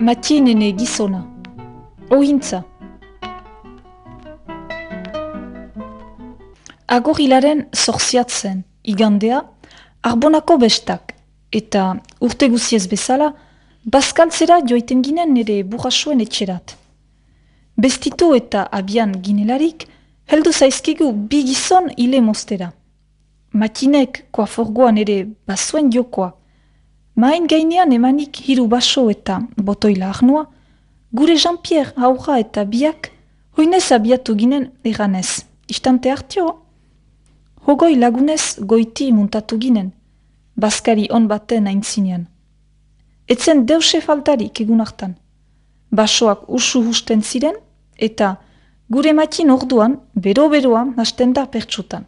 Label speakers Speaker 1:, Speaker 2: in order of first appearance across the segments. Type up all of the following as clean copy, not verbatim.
Speaker 1: Matxinene gizona. Ohintza. Agorilaren zorziatzen, igandea, Arbonako bestak, eta urte guziez bezala, bazkaltzera joiten ginen nire burrasuen etxerat. Bestitu eta abian ginelarik, heldu zaizkigu bi gizon hile mostera. Matxinek koaforgoan ere bazuen jokoa. Main gainean emanik hiru baso eta botoila arnoa, gure Jean-Pierre aurra eta biak, hoinez abiatu ginen eranez. Istante hartio, hogoi lagunez goiti muntatu ginen, bazkari on baten aintzinean. Etzen deuse faltarik egun hartan. Basoak usu husten ziren, eta gure matxin orduan, bero-beroan hasten da pertsutan.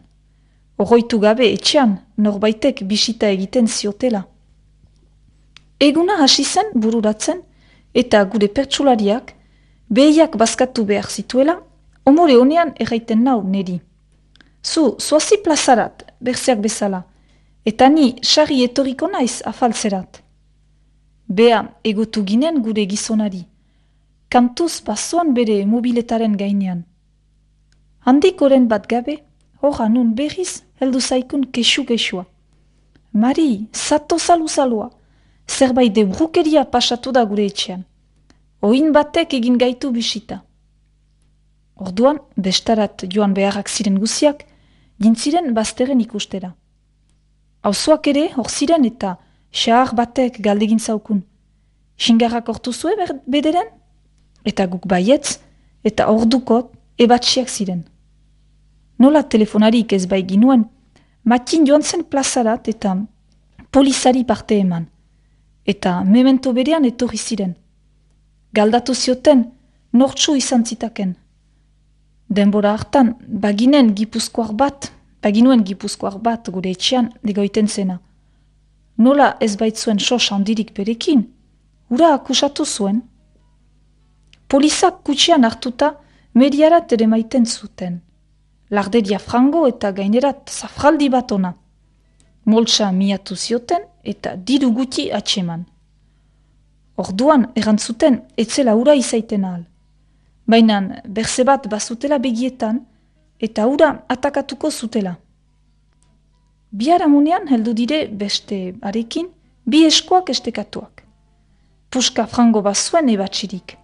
Speaker 1: Oroitu gabe etxean, norbaitek bisita egiten ziotela. Eguna hasi zen bururatzen, eta gure pertsulariak, behiak bazkatu behar zituela, omore honean erraiten nau neri. Zoazi plazarat, berzeak bezala, eta ni sarri etoriko naiz afaltzerat. Bea egotu ginen gure gizonari, kantuz basoan bere mobiletaren gainean. Handik oren bat gabe, horra nun berriz heldu zaikun kesu-kesua. Mari, zato zalu-zalua, zerbait de brukeria pasatu da gure etxean. Oin batek egin gaitu bisita. Orduan, bestarat joan beharrak ziren guziak, gintziren bazteren ikustera. Auzoak ere, hor ziren eta xahar batek galdegin zaukun. Xingarrak hortu zue bederen? Eta guk baietz, eta ordukot ebatsiak ziren. Nola telefonarik ez bai ginuen, matxin joan zen plazarat eta polizari parte eman. Eta memento berean etorri ziren. Galdatu zioten, nortsu izan zitaken. Denbora hartan, baginuen gipuzkoar bat gure etxean degoiten zena. Nola ez baitzuen sos handirik berekin, ura akusatu zuen. Polizak kutsian hartuta mediarat ere maiten zuten. Larderia frango eta gainerat zafraldi bat ona. Moltsa miatu zioten eta diru guti atseman. Orduan erantzuten etzela ura izaiten ahal. Baina berze bat bazutela begietan eta ura atakatuko zutela. Biharamunean heldu dire beste arekin bi eskoak estekatuak. Puska frango bazuen ebatsirik.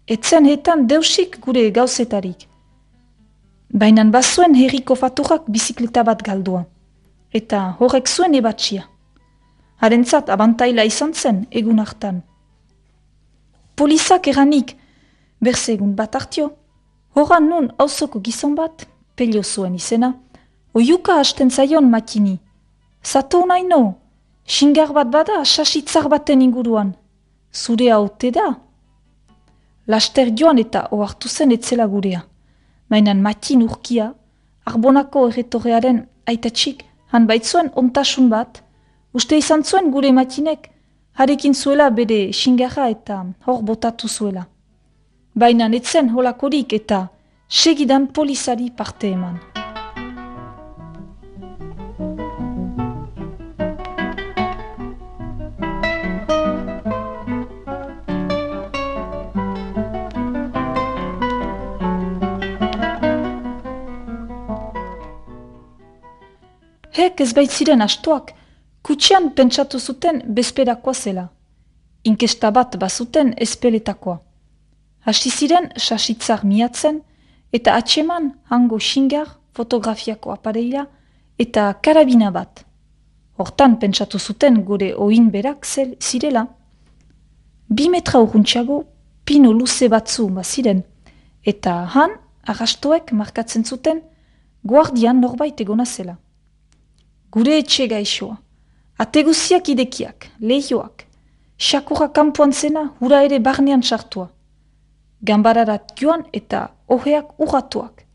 Speaker 1: Etzen hetan deusik gure gauzetarik. Baina bazuen herriko faturak bizikleta bat galdua. Eta horrek zuen ebatsia. Harentzat abantaila izan zen egun hartan. Polizak eranik, berze egun bat hartio, horan nun auzoko gizon bat, pelio zuen izena, oiuka hasten zaion matini. Zato naino, xingar bat bada sasitzar baten inguruan. Zure haute da? Laster joan eta ohartu zen etzela gurea. Mainan matin urkia, Arbonako erretorrearen aitatxik, han baitzuen ontasun bat, uste izan zuen gure matinek, harekin zuela bere xingarra eta hor botatu zuela. Baina etzen holakorik eta segidan polizari parte eman. Hek ez baitziren astoak, kutsian pentsatu zuten bezperakoa zela. Inkesta bat bazuten espeletakoa. Hasi ziren sasitzar miatzen eta atseman hango xingar, fotografiako apareila eta karabina bat. Hortan pentsatu zuten gure oin berak zirela. 2 metra urruntxago pino luze batzu baziren eta han arrastoek markatzen zuten guardian norbait egona zela. Gure etxe gaixoa, ateguziak idekiak, lehioak, xakurra kanpoan zena hura ere barnean sartua. Gambararat joan eta oheak urratuak.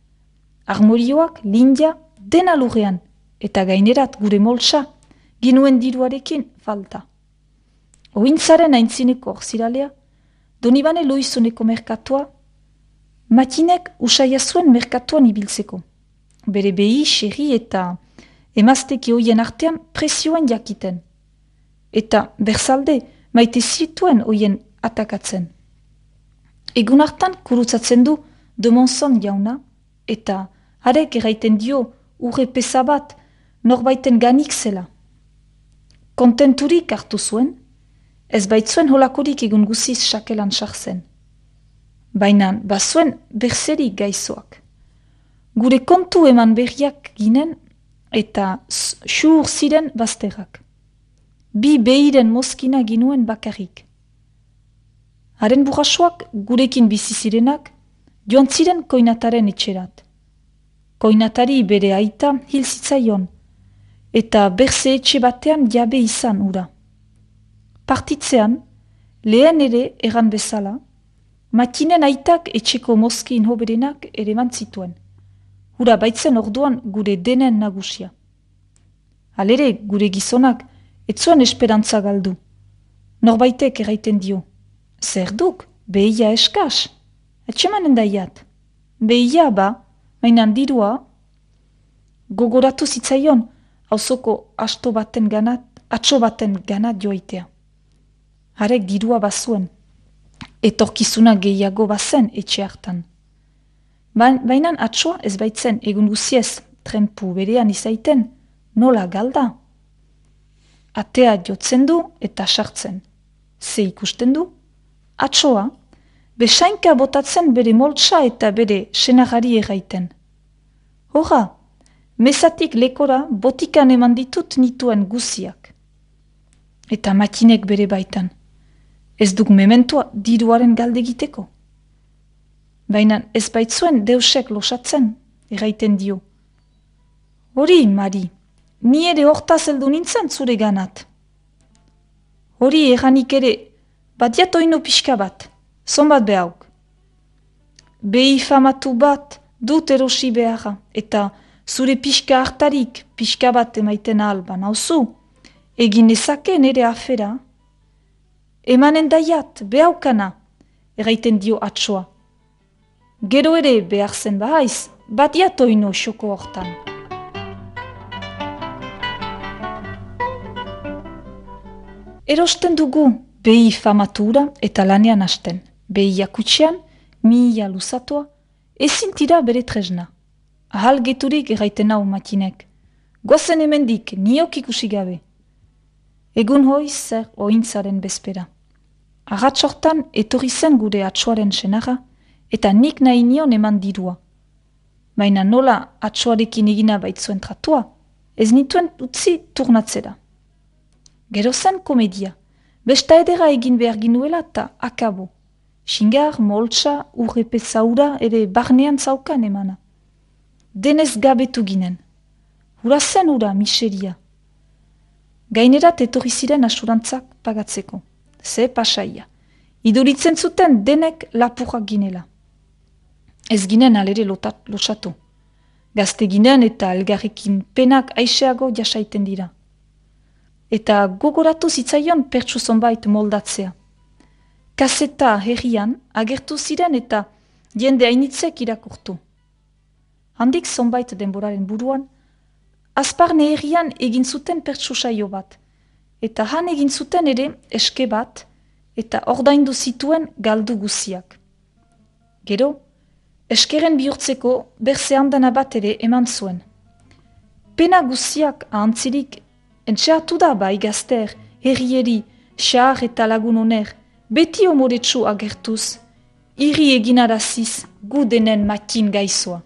Speaker 1: Armorioak, lindia, dena lurrean, eta gainerat gure moltsa, ginuen diruarekin falta. Ointzaren aintzineko orziralea, Donibane Loizoneko merkatua, matinek usaia zuen merkatuan ibiltzeko. Bere behi, xerri eta emazteki hoien artean presioan jakiten. Eta berzalde maite zituen hoien atakatzen. Egun hartan kurutzatzen du de Monson jauna, eta harek erraiten dio urre pesa bat norbaiten ganik zela. Kontenturik hartu zuen, ez baitzuen holakorik egun guziz sakelan sartzen. Baina bazuen berzerik gaizoak. Gure kontu eman berriak ginen eta xur ziren bazterrak. Bi behiren mozkina ginuen bakarrik. Haren burrasoak gurekin bizi zirenak joan ziren koinataren etxerat. Koinatari bere aita hil zitzaion, eta berze etxe batean jabe izan ura. Partitzean, lehen ere erran bezala, matinen aitak etxeko mozkin hoberenak ere mantzituen. Hura baitzen orduan gure denen nagusia. Halere, gure gizonak, etzuen esperantza galdu. Norbaitek erraiten dio. Zer duk, behia eskas. Etxemanen daiat. Behia ba, mainan dirua, gogoratu zitzaion, auzoko atxo baten ganat joaitea. Harek dirua bazuen, etorkizuna gehiago bazen etxe hartan. Bainan atsoa ez baitzen egun guziez trenpu berean izaiten, nola galda. Atea jotzen du eta sartzen. Ze ikusten du? Atsoa, besainka botatzen bere moltsa eta bere senagari erraiten. Hora, mesatik lekora botikan eman ditut nituen guziak. Eta makinek bere baitan. Ez duk mementoa diruaren galdegiteko. Baina ez baitzuen deusek losatzen, erraiten dio. Hori, Mari, ni ere hortaz heldu nintzen zure ganat. Hori erranik ere, badiat oino pixka bat, zonbat behauk. Behi famatu bat dut erosi beharra, eta zure pixka hartarik pixka bat emaiten alban, hauzu, egin ezake nere afera. Emanen daiat, behaukana, erraiten dio atsoa. Gero ere behar zen bahaiz, badiat oino xoko hortan. Erosten dugu behi famatura eta lanean hasten. Behi jakutxean, mihia luzatua, ezin tira bere tresna. Ahal geturik erraiten hau makinek. Goazen hemendik, niok ikusi gabe. Egun hoiz zer ointzaren bezpera. Arratsortan etorri zen gure atsoaren senara, eta nik nahi nion eman dirua. Baina nola atsoarekin egina baitzuen tratua, ez nituen utzi turnatzera. Gero zen komedia, besta edera egin behar ginuela eta akabo. Xingar, moltsa, urrepe zaura ere barnean zaukan emana. Denez gabetu ginen. Hura zen hura, miseria. Gainerat etorri ziren asurantzak pagatzeko. Ze pasaia. Iduritzen zuten denek lapurrak ginela. Ez ginen alere losatu. Gazte ginen eta elgarrekin penak aiseago jasaiten dira. Eta gogoratu zitzaion pertsu zonbait moldatzea. Kaseta herrian agertu ziren eta jende hainitzek irakurtu. Handik zonbait denboraren buruan, Azparne herrian egin zuten pertsu saio bat, eta han egin zuten ere eske bat, eta ordaindu zituen galdu guziak. Gero, eskeren bihurtzeko berze handana bat ere eman zuen. Pena guziak ahantzirik, entxeatu da bai gazter, herrieri, xahar eta lagun oner, beti omoretsu agertuz, iri eginaraziz gu denen makin gaizoa.